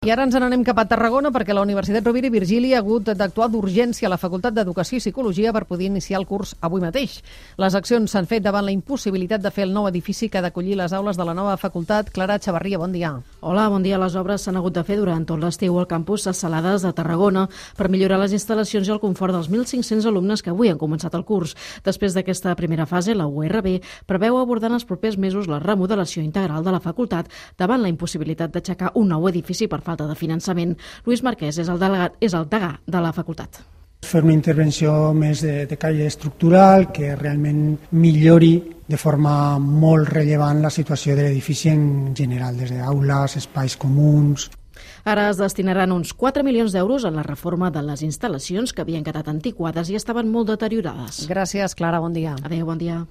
I ara ens n'anem cap a Tarragona perquè la Universitat Rovira i Virgili ha hagut d'actuar d'urgència a la Facultat d'Educació i Psicologia per poder iniciar el curs avui mateix. Les accions s'han fet davant la impossibilitat de fer el nou edifici que ha d'acollir les aules de la nova facultat. Clara Xavarria, bon dia. Hola, bon dia. Les obres s'han hagut de fer durant tot l'estiu al campus Salades de Tarragona per millorar les instal·lacions i el confort dels 1.500 alumnes que avui han començat el curs. Després d'aquesta primera fase, la URB preveu abordar en els propers mesos la remodelació integral de la facultat davant la impossibilitat d'aixecar un nou edifici per falta de finançament. Lluís Marquès és el degà de la facultat. Fer una intervenció més de caire estructural que realment millori de forma molt rellevant la situació de l'edifici en general, des d'aules, espais comuns. Ara es destinaran uns 4 milions d'euros en la reforma de les instal·lacions que havien quedat antiquades i estaven molt deteriorades. Gràcies, Clara, bon dia. Adéu, bon dia.